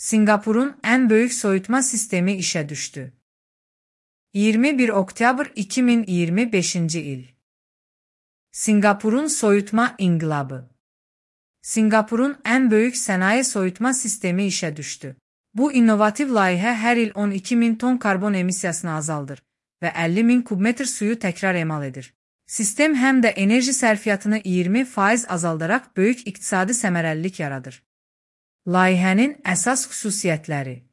Singapurun en büyük soyutma sistemi işe düştü. 21 Oktyabr 2025 il. Singapurun soyutma inkılabı. Singapurun en büyük sanayi soyutma sistemi işe düştü. Bu inovatif layihə her il 12.000 ton karbon emissiyasını azaldır ve 50.000 kubmetr suyu tekrar emal edir. Sistem hem de enerji sərfiyyatını 20% azaldarak büyük iktisadi səmərəlilik yaradır. Layihənin əsas xüsusiyyətləri.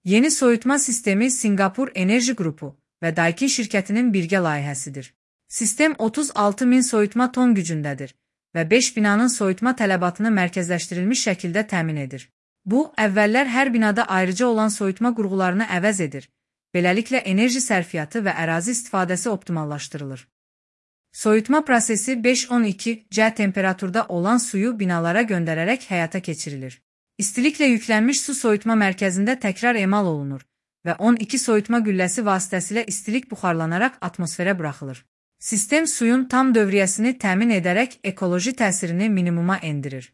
Yeni soyutma sistemi Singapur Enerji Qrupu ve Daikin şirkətinin birgə layihəsidir. Sistem 36.000 soyutma ton gücündədir ve 5 binanın soyutma tələbatını mərkəzləşdirilmiş şəkildə təmin edir. Bu, əvvəllər hər binada ayrıca olan soyutma qurğularını əvəz edir. Beləliklə enerji sərfiyyatı və ərazi istifadəsi optimallaşdırılır. Soyutma prosesi 5-12 temperaturda olan suyu binalara göndərərək həyata keçirilir. İstiliklə yüklənmiş su soyutma mərkəzində təkrar emal olunur və 12 soyutma gülləsi vasitəsilə istilik buxarlanaraq atmosferə buraxılır. Sistem suyun tam dövriyyəsini təmin edərək ekoloji təsirini minimuma endirir.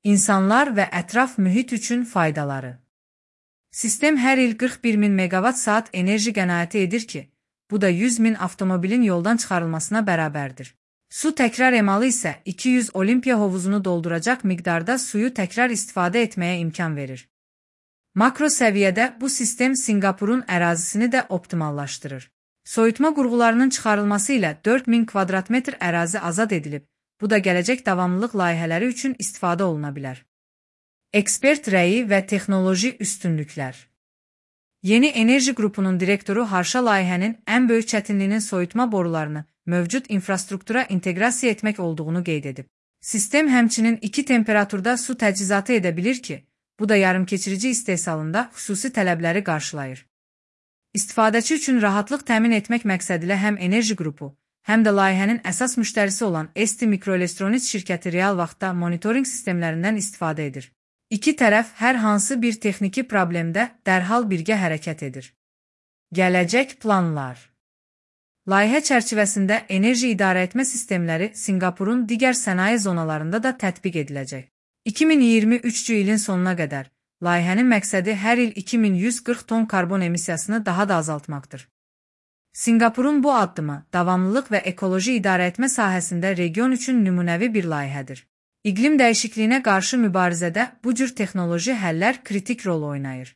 İnsanlar və ətraf mühit üçün faydaları. Sistem hər il 41.000 megawatt-saat enerji qənaəti edir ki, bu da 100.000 avtomobilin yoldan çıxarılmasına bərabərdir. Su təkrar emalı isə 200 olimpiya hovuzunu dolduracaq miqdarda suyu təkrar istifadə etməyə imkan verir. Makro səviyyədə bu sistem Singapurun ərazisini də optimallaşdırır. Soyutma qurğularının çıxarılması ilə 4.000 kvadratmetr ərazi azad edilib, bu da gələcək davamlılıq layihələri üçün istifadə oluna bilər. Ekspert rəyi və texnoloji üstünlüklər. Yeni enerji qrupunun direktoru Harşa layihənin ən böyük çətinliyinin soyutma borularını mövcud infrastruktura inteqrasiya etmək olduğunu qeyd edib. Sistem həmçinin 2 temperaturda su təchizatı edə bilir ki, bu da yarımkeçirici istehsalında xüsusi tələbləri qarşılayır. İstifadəçi üçün rahatlıq təmin etmək məqsədilə həm enerji qrupu, həm də layihənin əsas müştərisi olan ST Microelectronics şirkəti real vaxtda monitoring sistemlərindən istifadə edir. İki tərəf hər hansı bir texniki problemdə dərhal birgə hərəkət edir. Gələcək planlar. Layihə çərçivəsində enerji idarəetmə sistemləri Singapurun digər sənaye zonalarında da tətbiq ediləcək. 2023 ilin sonuna qədər layihənin məqsədi hər il 2140 ton karbon emissiyasını daha da azaltmaqdır. Singapurun bu addımı davamlılıq və ekoloji idarəetmə sahəsində region üçün nümunəvi bir layihədir. İqlim dəyişikliyinə qarşı mübarizədə bu cür texnoloji həllər kritik rol oynayır.